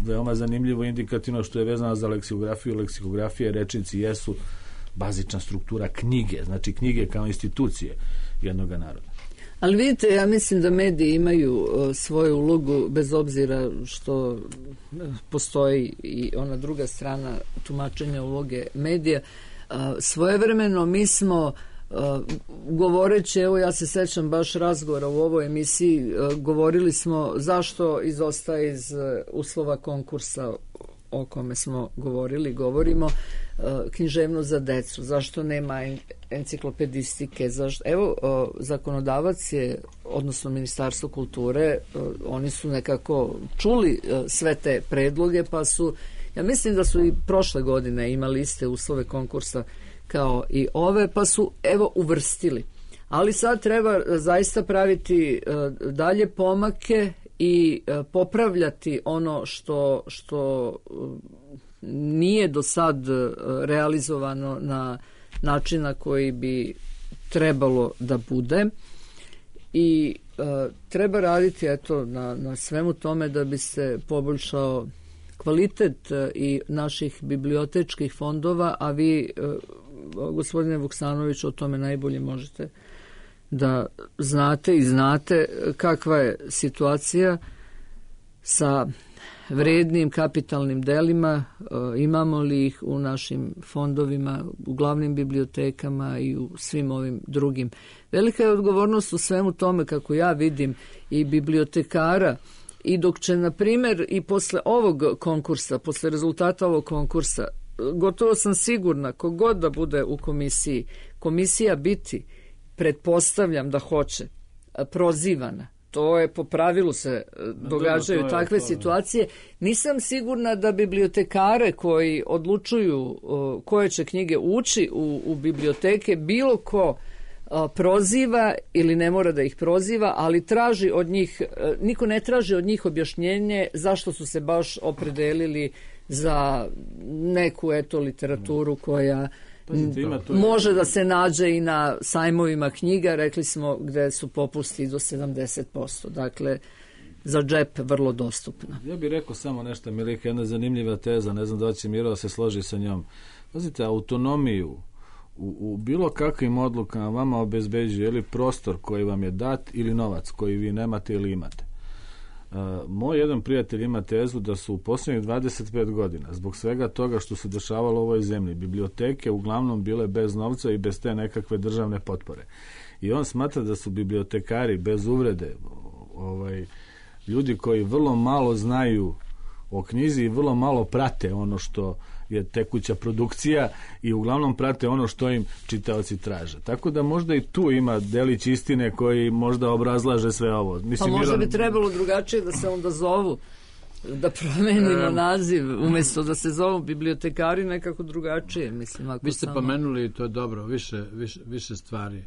veoma zanimljivo i indikativno što je vezano za leksikografiju. Leksikografije, rečnici jesu bazična struktura knjige, znači knjige kao institucije jednog naroda. Ali vidite, ja mislim da mediji imaju uh, svoju ulogu bez obzira što uh, postoji i ona druga strana tumačenja uloge medija. Uh, svojevremeno mi smo uh, govoreći, evo ja se sećam baš razgovora u ovoj emisiji, uh, govorili smo zašto izostaje iz uh, uslova konkursa o kome smo govorili, govorimo uh, književnost za decu, zašto nema enciklopedistike, zašto, evo uh, zakonodavac je, odnosno Ministarstvo kulture, uh, oni su nekako čuli uh, sve te predloge, pa su, ja mislim da su i prošle godine imali iste uslove konkursa kao i ove, pa su evo uvrstili. Ali sad treba zaista praviti uh, dalje pomake i uh, popravljati ono što, što uh, nije do sad uh, realizovano na način na koji bi trebalo da bude i uh, treba raditi eto na, na svemu tome da bi se poboljšao kvalitet uh, i naših bibliotečkih fondova, a vi uh, gospodine Vuksanović o tome najbolje možete da znate i znate kakva je situacija sa vrednim kapitalnim delima, imamo li ih u našim fondovima, u glavnim bibliotekama i u svim ovim drugim. Velika je odgovornost u svemu tome, kako ja vidim, i bibliotekara, i dok će, na primjer, i posle ovog konkursa, posle rezultata ovog konkursa, gotovo sam sigurna, kogod da bude u komisiji, komisija biti, pretpostavljam da hoće, prozivana. To je po pravilu se događaju no, takve to, situacije. Nisam sigurna da bibliotekare koji odlučuju uh, koje će knjige ući u, u biblioteke, bilo ko uh, proziva ili ne mora da ih proziva, ali traži od njih, niko ne traži od njih objašnjenje zašto su se baš opredelili za neku eto literaturu koja Pazite, ima to može da se nađe i na sajmovima knjiga, rekli smo gde su popusti do sedamdeset posto. Dakle, za džep vrlo dostupna. Ja bih rekao samo nešto, Milika, jedna zanimljiva teza, ne znam da će Miro se složi sa njom. Pazite, autonomiju u, u bilo kakvim odlukama vama obezbeđuje ili prostor koji vam je dat ili novac koji vi nemate ili imate. Uh, moj jedan prijatelj ima tezu da su u posljednjih dvadeset pet godina zbog svega toga što se dešavalo u ovoj zemlji biblioteke uglavnom bile bez novca i bez te nekakve državne potpore. I on smatra da su bibliotekari bez uvrede ovaj, ljudi koji vrlo malo znaju o knjizi i vrlo malo prate ono što je tekuća produkcija i uglavnom prate ono što im čitaoci traže. Tako da možda i tu ima delić istine koji možda obrazlaže sve ovo. Mislim, pa možda Milan... bi trebalo drugačije da se onda zovu, da promenimo um, naziv, umjesto da se zovu bibliotekari nekako drugačije. Mislim, ako vi ste samo... pomenuli i to je dobro, više, više, više stvari.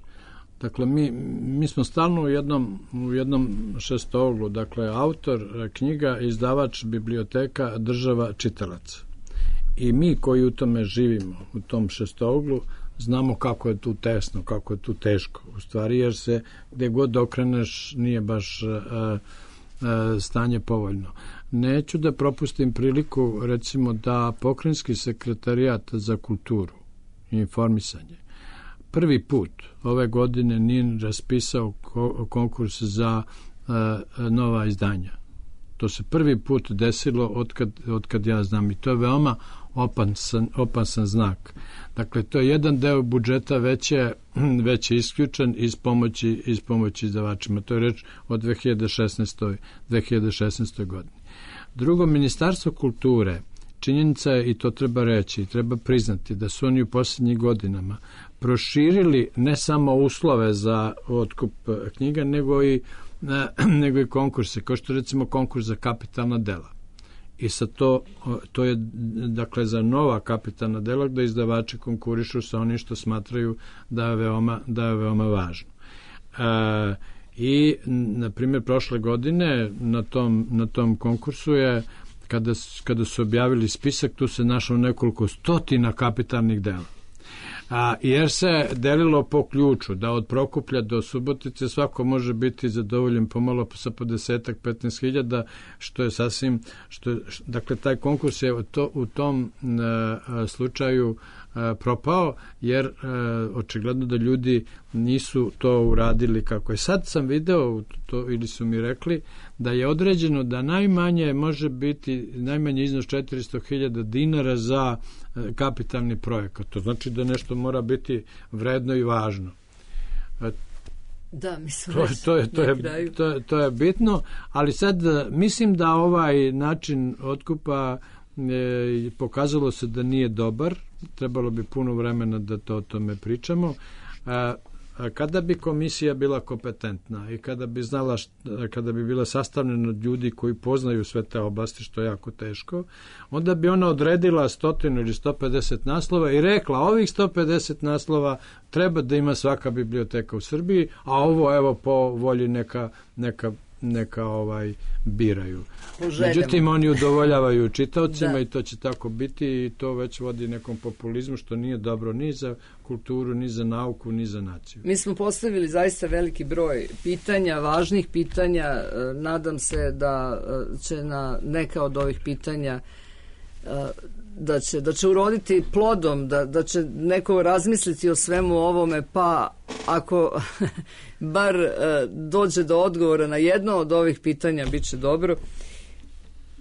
Dakle, mi, mi smo stalno u jednom, u jednom šestouglu, dakle, autor, knjiga, izdavač, biblioteka, država, čitalac. I mi koji u tome živimo, u tom šestouglu, znamo kako je tu tesno, kako je tu teško. U stvari, jer se gde god okreneš nije baš a, a, stanje povoljno. Neću da propustim priliku, recimo, da Pokrajinski sekretarijat za kulturu i informisanje prvi put ove godine nije raspisao konkurs za a, nova izdanja. To se prvi put desilo otkad, otkad ja znam i to je veoma opasan, opasan znak. Dakle, to je jedan deo budžeta već je, već je isključen iz pomoći, iz pomoći izdavačima. To je reč o dve hiljade šesnaestoj godini. Drugo, Ministarstvo kulture, činjenica je, i to treba reći, treba priznati da su oni u posljednjih godinama proširili ne samo uslove za otkup knjiga, nego i nego i konkurse, kao što recimo konkurs za kapitalna dela. I sad to, to je dakle za nova kapitalna dela gde izdavači konkurišu sa onim što smatraju da je veoma, da je veoma važno. E, I, na primjer, prošle godine na tom, na tom konkursu je, kada, kada su objavili spisak, tu se našlo nekoliko stotina kapitalnih dela. A, jer se delilo po ključu da od Prokuplja do Subotice svako može biti zadovoljen pomalo sa po desetak, petnaest hiljada, što je sasvim, što je, dakle, taj konkurs je to, u tom a, slučaju a, propao, jer a, očigledno da ljudi nisu to uradili kako je. Sad sam video, to, ili su mi rekli, da je određeno da najmanje može biti, najmanje iznos četiristo hiljada dinara za kapitalni projekat. To znači da nešto mora biti vredno i važno. Da, mislim, to, to, je, to, je, to, je, to je bitno, ali sad mislim da ovaj način otkupa e, pokazalo se da nije dobar, trebalo bi puno vremena da to o tome pričamo. A, kada bi komisija bila kompetentna i kada bi znala, kada bi bila sastavljena od ljudi koji poznaju sve te oblasti, što je jako teško, onda bi ona odredila stotinu ili sto pedeset naslova i rekla, ovih sto pedeset naslova treba da ima svaka biblioteka u Srbiji, a ovo evo po volji neka, neka neka ovaj biraju. Međutim, oni udovoljavaju čitaocima i to će tako biti i to već vodi nekom populizmu što nije dobro ni za kulturu, ni za nauku, ni za naciju. Mi smo postavili zaista veliki broj pitanja, važnih pitanja. Nadam se da će na neka od ovih pitanja da će, da će uroditi plodom, da, da će neko razmisliti o svemu ovome, pa ako bar dođe do odgovora na jedno od ovih pitanja, bit će dobro.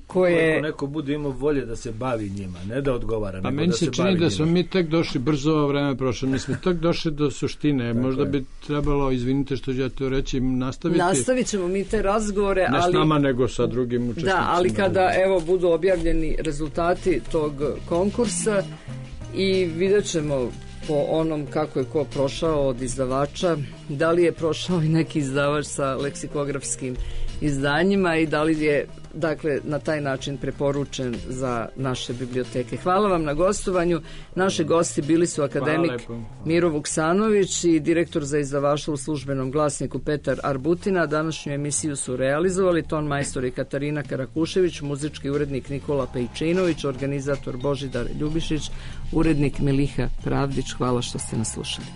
Koje... Ako neko bude imao volje da se bavi njima, ne da odgovara, pa nego meni da se, se čini bavi da smo mi tek došli, brzo ovo vreme prošlo, mi smo tek došli do suštine. Možda bi trebalo, izvinite što ću ja to reći, nastaviti. Nastavit ćemo mi te razgovore, ne ali... s nama, nego sa drugim učesnicima. Da, ali kada, evo, budu objavljeni rezultati tog konkursa i vidjet ćemo po onom kako je ko prošao od izdavača, da li je prošao i neki izdavač sa leksikografskim izdanjima i da li je dakle na taj način preporučen za naše biblioteke. Hvala vam na gostovanju. Naši gosti bili su akademik Miro Vuksanović i direktor za izdavaštvo u Službenom glasniku Petar Arbutina. Današnju emisiju su realizovali ton majstor i Katarina Karakušević, muzički urednik Nikola Pejčinović, organizator Božidar Ljubišić, urednik Miliha Pravdić. Hvala što ste nas slušali.